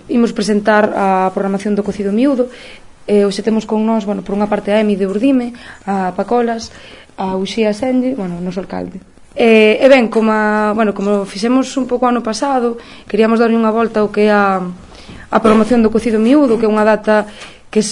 imos presentar a programación do cocido miúdo. Hoxe temos con nós, por unha parte a Emi de Urdime, a Pacolas, a Uxía Senlle, o noso alcalde. E ben, como fixemos un pouco ano pasado, queríamos darlle unha volta ao que é a programación do cocido miúdo, que é unha data que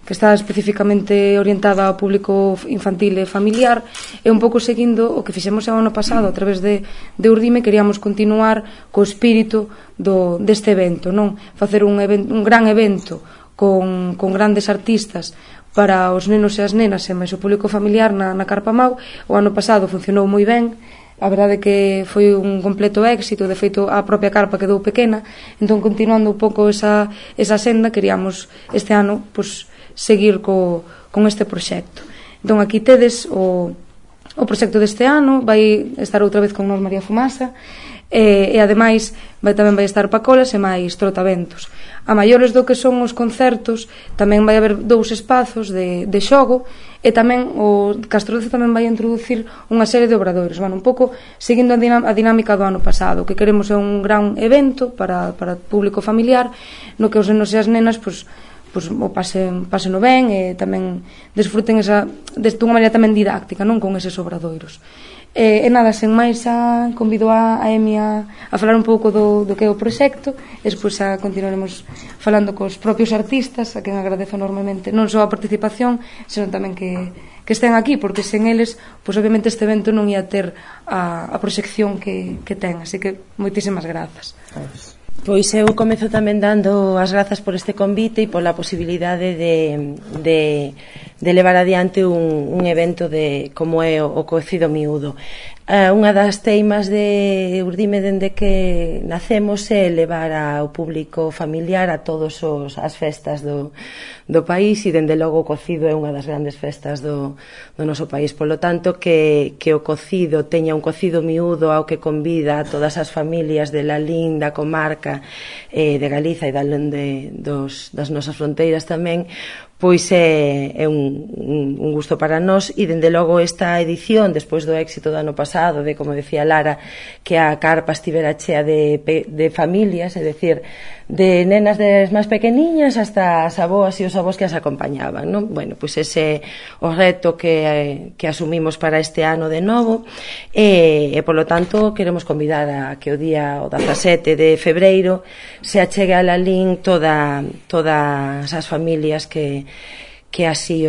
está especificamente orientada ao público infantil e familiar, e un pouco seguindo o que fixemos o ano pasado a través de Urdime. Queríamos continuar co espírito deste evento, non? Facer un gran evento con grandes artistas para os nenos e as nenas e máis o público familiar na Carpa Mau. O ano pasado funcionou moi ben, a verdade que foi un completo éxito, de feito a propia carpa quedou pequena. Entón, continuando un pouco esa senda, queríamos este ano seguir con este proxecto. Entón, aquí tedes o proxecto deste ano. Vai estar outra vez con nós María Fumasa, e ademais tamén vai estar Pacolas e máis trotaventos. A maiores do que son os concertos, tamén vai haber 2 espazos de xogo, e tamén o Castro Doce tamén vai introducir unha serie de obradoiros, un pouco seguindo a dinámica do ano pasado. O que queremos é un gran evento para o público familiar, no que os nenos e as nenas o pasen ben, e tamén desfruten dunha maneira tamén didáctica, non, con eses obradoiros. E nada, sen máis, convido a Emi a falar un pouco do que é o proxecto, e despois continuaremos falando cos propios artistas, a quen agradezo enormemente non só a participación, senón tamén que estén aquí, porque sen eles obviamente este evento non ia ter a proxección que ten. Así que moitísimas grazas. Pois eu comezo tamén dando as grazas por este convite e pola posibilidade de levar adiante un evento como é o cocido miúdo. Unha das teimas de Urdime dende que nacemos é levar ao público familiar a todas as festas do país, e dende logo o cocido é unha das grandes festas do noso país. Polo tanto, que o cocido teña un cocido miúdo ao que convida a todas as familias de Lalín, da comarca, de Galiza e das nosas fronteiras tamén, pois é un gusto para nós. E dende logo esta edición, despois do éxito do ano pasado, de, como decía Lara, que a carpa estivera chea de familias, é dicir, de nenas des máis pequeniñas hasta as aboas e os avós que as acompañaban, non? Bueno, pois ese é o reto que asumimos para este ano de novo, e polo tanto queremos convidar a que o 17 de febreiro se achegue a Lalín todas as familias que así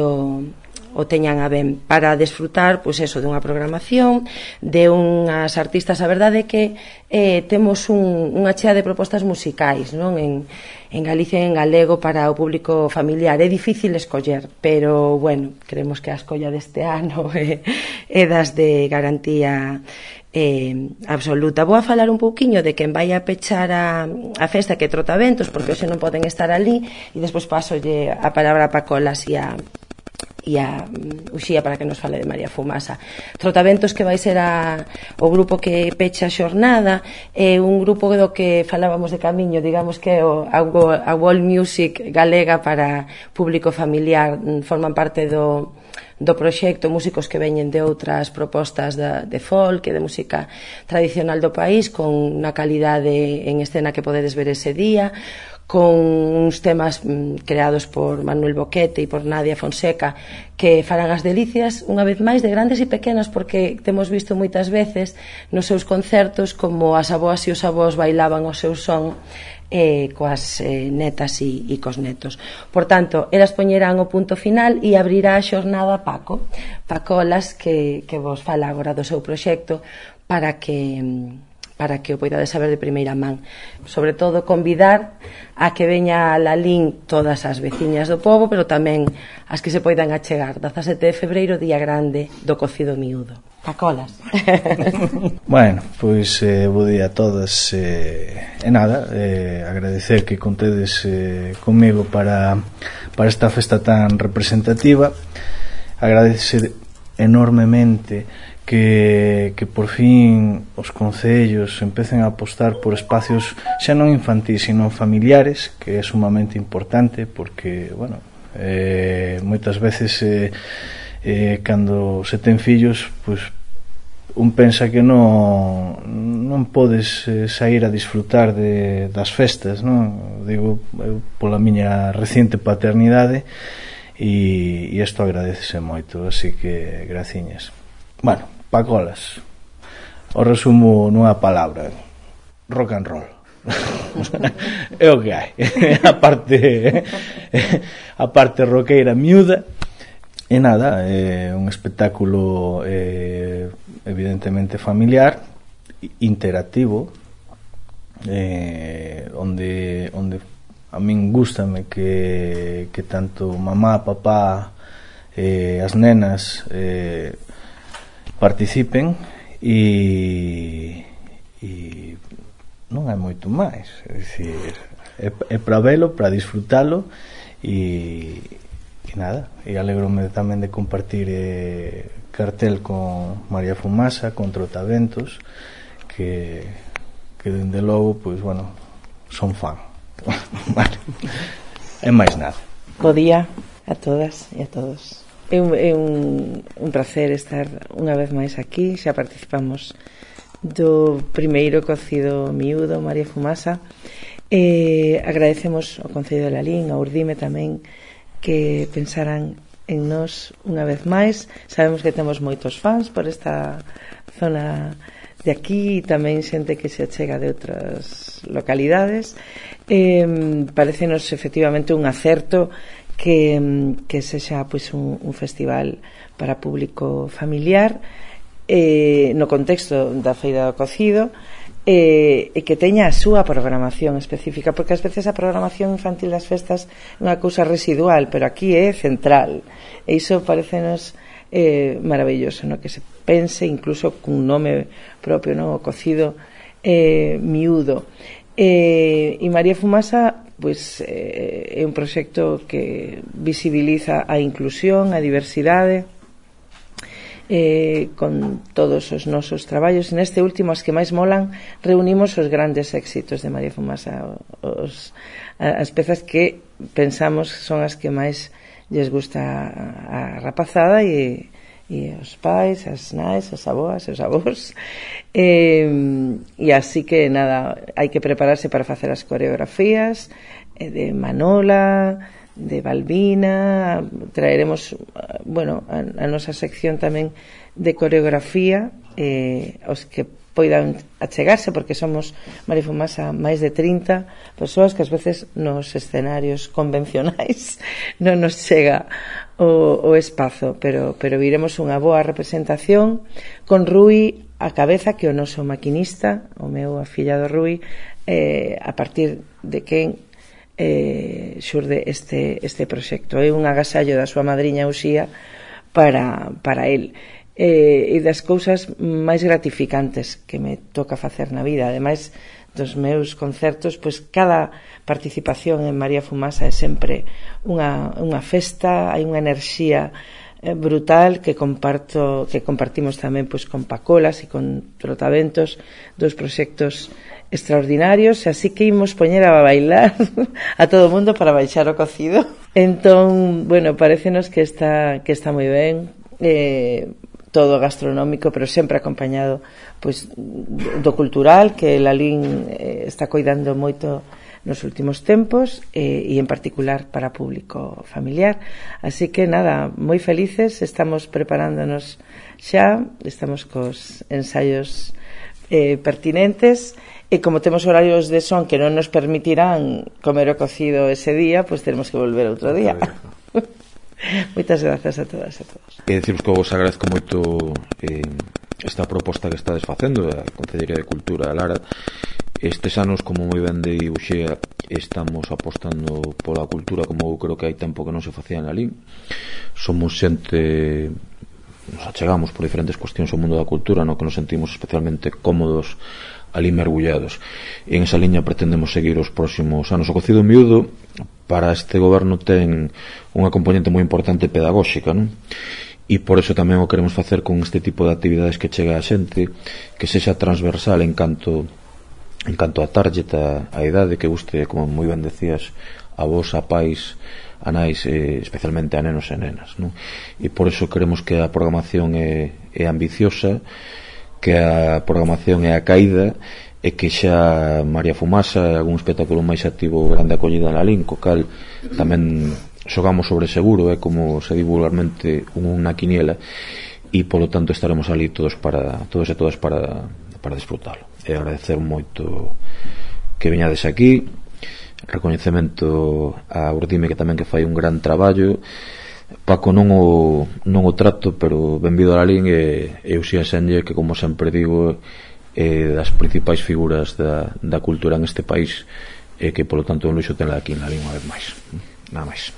o teñan a ben, para desfrutar dunha programación de unhas artistas. A verdade é que temos unha chea de propostas musicais, non, en Galicia e en galego para o público familiar. É difícil escoller, pero bueno, creemos que a escolla deste ano é das de garantía absoluta. Vou a falar un pouquiño de quen vai a pechar a festa, que é Trotaventos, porque hoxe non poden estar ali, e despois pasolle a palabra a Pacolas e a Uxía para que nos fale de María Fumasa. Trotaventos, que vai ser o grupo que pecha a xornada, é un grupo do que falábamos de camiño, digamos que é a world music galega para público familiar. Forman parte do proxecto músicos que veñen de outras propostas de folk e de música tradicional do país, con unha calidade en escena que podedes ver ese día, con uns temas creados por Manuel Boquete e por Nadia Fonseca, que farán as delicias, unha vez máis, de grandes e pequenos, porque temos visto moitas veces nos seus concertos como as aboas e os avós bailaban o seu son coas netas e cos netos. Por tanto, elas poñerán o punto final e abrirá a xornada Pacolas, que vos fala agora do seu proxecto, para que o poidades saber de primeira man. Sobre todo, convidar a que veña a Lalín todas as veciñas do pobo, pero tamén as que se poidan achegar. 17 de febreiro, día grande do cocido miúdo. Pacolas. Bueno, pois bo día a todas, e nada, agradecer que contedes comigo para esta festa tan representativa. Agradecer enormemente que por fin os concellos empecen a apostar por espacios xa non infantís, sino familiares, que é sumamente importante, porque, bueno, moitas veces cando se ten fillos, pois un pensa que non podes sair a disfrutar das festas, non? digo pola miña reciente paternidade, e isto agradecese moito, así que graciñas. Bueno, Pacolas, o resumo nunha palabra: rock and roll. É o que hai. a parte roqueira miúda. E nada, é un espectáculo evidentemente familiar, interactivo, onde a min gústame que tanto mamá, papá, as nenas participen, e non hai moito máis. É dicir, é para velo, para disfrutalo, e nada, e alegrome tamén de compartir cartel con María Fumasa, con Trotaventos, que dende logo, pois, bueno, son fan. Vale. É máis nada. Bo día a todas e a todos. É un placer estar unha vez máis aquí. Xa participamos do primeiro cocido miúdo, María Fumasa. Agradecemos ao Concello de Lalín, ao Urdime tamén, que pensaran en nós unha vez máis. Sabemos que temos moitos fans por esta zona de aquí, e tamén xente que se achega de outras localidades. Parecenos efectivamente un acerto que sexa pois un festival para público familiar, no contexto da Feira do Cocido, e que teña a súa programación específica, porque ás veces a programación infantil das festas é unha cousa residual, pero aquí é central, e iso parecenos maravilloso, no? Que se pense incluso cun nome propio, no? O cocido miúdo. E María Fumasa, pois, é un proxecto que visibiliza a inclusión, a diversidade, con todos os nosos traballos. Neste último, as que máis molan, reunimos os grandes éxitos de María Fumasa, as pezas que pensamos son as que máis lles gusta a rapazada e os pais, as nais, as aboas, os avós, e así que nada, hai que prepararse para facer as coreografías de Manola, de Balbina. Traeremos, bueno, a nosa sección tamén de coreografía, os que poidan achegarse, porque somos, María Fumasa, máis de 30 persoas que ás veces nos escenarios convencionais non nos chega o espazo, pero viremos unha boa representación con Rui a cabeza, que o noso maquinista, o meu afillado Rui, a partir de quen xurde este proxecto. É un agasallo da súa madriña Uxía para el, e das cousas máis gratificantes que me toca facer na vida. Ademais dos meus concertos, pois cada participación en María Fumasa é sempre unha festa, hai unha enerxía brutal que compartimos tamén pois con Pacolas e con Trotaventos, dos proxectos extraordinarios, así que imos poñer a bailar a todo o mundo para baixar o cocido. Entón, bueno, parecenos que está moi ben, todo gastronómico, pero sempre acompañado pois do cultural, que Lalín está coidando moito nos últimos tempos, e en particular para público familiar. Así que nada, moi felices, estamos preparándonos xa, estamos cos ensaios pertinentes, e como temos horarios de son que non nos permitirán comer o cocido ese día, pois teremos que volver outro día. Moitas grazas a todas e a todos. Deciros que vos agradezco moito esta proposta que estades facendo, a Concellería de Cultura, a Lara. Estes anos, como moi ben de Uxea, estamos apostando pola cultura como eu creo que hai tempo que non se facía en Lalín. Somos xente, nos achegamos por diferentes cuestións ao mundo da cultura, no que nos sentimos especialmente cómodos ali mergullados, e en esa liña pretendemos seguir os próximos anos. O cocido miúdo para este goberno ten unha componente moi importante pedagóxica, non? E por eso tamén o queremos facer con este tipo de actividades que chega a xente, que sexa transversal en canto a target, a idade, que guste, como moi ben decías, a vos, a pais, a nais, especialmente a nenos e nenas, non? E por eso queremos que a programación é ambiciosa, que a programación é a caída, e que xa María Fumasa é algún espectáculo máis activo, grande acollida na Lalín, co cal tamén xogamos sobre seguro, é como se di vulgarmente unha quiniela, e polo tanto estaremos ali todos e todas para disfrutalo. E agradecer moito que veñades aquí, recoñecemento a Urdime, que tamén que fai un gran traballo. Paco non o trato, pero benvido a Lalín, e Uxía Senlle, que como sempre digo das principais figuras da cultura en este país, e que polo tanto un luxo tenla aquí en Lalín unha vez máis. Nada máis.